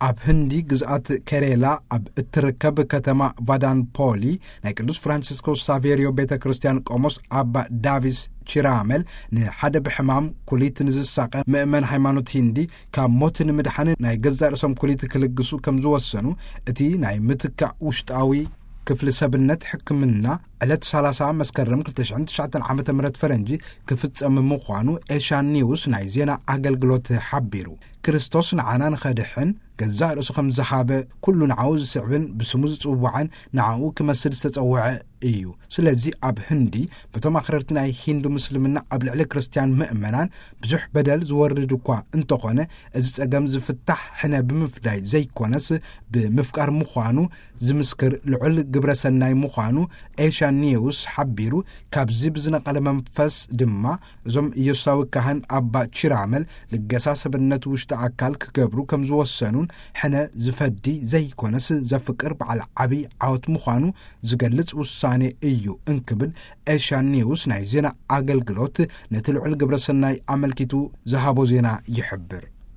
ኣብ ህንዲ ግዝኣት ከሬላ ኣብ እትርከብ ከተማ ቫዳንፖሊ ናይ ቅዱስ ፍራንሲስኮስ ሳቬሪዮ ቤተ ክርስቲያን ቆሞስ ኣባ ዳቪስ ቺራመል ንሓደ ብሕማም ኩሊት ንዝሳቐ ምእመን ሃይማኖት ሂንዲ ካብ ሞት ንምድሓን ናይ ገዛእ ርእሶም ኩሊት ክልግሱ ከም ዝወሰኑ እቲ ናይ ምትካእ ውሽጣዊ ክፍሊ ሰብነት ሕክምና ዕለት ሰላሳ መስከረም ክልተ ሽሕን ትሽዓተን ዓመተ ምህረት ፈረንጂ ክፍጸም ምዃኑ ኤሻ ኒውስ ናይ ዜና ኣገልግሎት ሓቢሩ። ክርስቶስ ንዓና ንኸድሕን ገዛእ ርእሱ ከም ዝሃበ ኩሉ ንዓኡ ዝስዕብን ብስሙ ዝጽዋዕን ንዓኡ ክመስል ዝተጸውዐ እዩ። ስለዚ ኣብ ህንዲ በቶም ኣኽረርቲ ናይ ሂንዱ ምስልምና ኣብ ልዕሊ ክርስትያን ምእመናን ብዙሕ በደል ዝወርድ እኳ እንተኾነ፣ እዚ ጸገም ዝፍታሕ ሕነ ብምፍዳይ ዘይኮነስ ብምፍቃር ምዃኑ ዝምስክር ልዑል ግብረ ሰናይ ምዃኑ ኤሻ ኒውስ ሓቢሩ። ካብዚ ብዝነቐለ መንፈስ ድማ እዞም ኢየሱሳዊ ካህን ኣባ ቺራመል ልገሳ ሰብነት ውሽጢ ኣካል ክገብሩ ከም ዝወሰኑን ሕነ ዝፈዲ ዘይኮነስ ዘፍቅር በዓል ዓብዪ ዓወት ምዃኑ ዝገልጽ ውሳኔ እዩ እንክብል ኤሻ ኒውስ ናይ ዜና ኣገልግሎት ነቲ ልዑል ግብረ ሰናይ ኣመልኪቱ ዝሃቦ ዜና ይሕብር።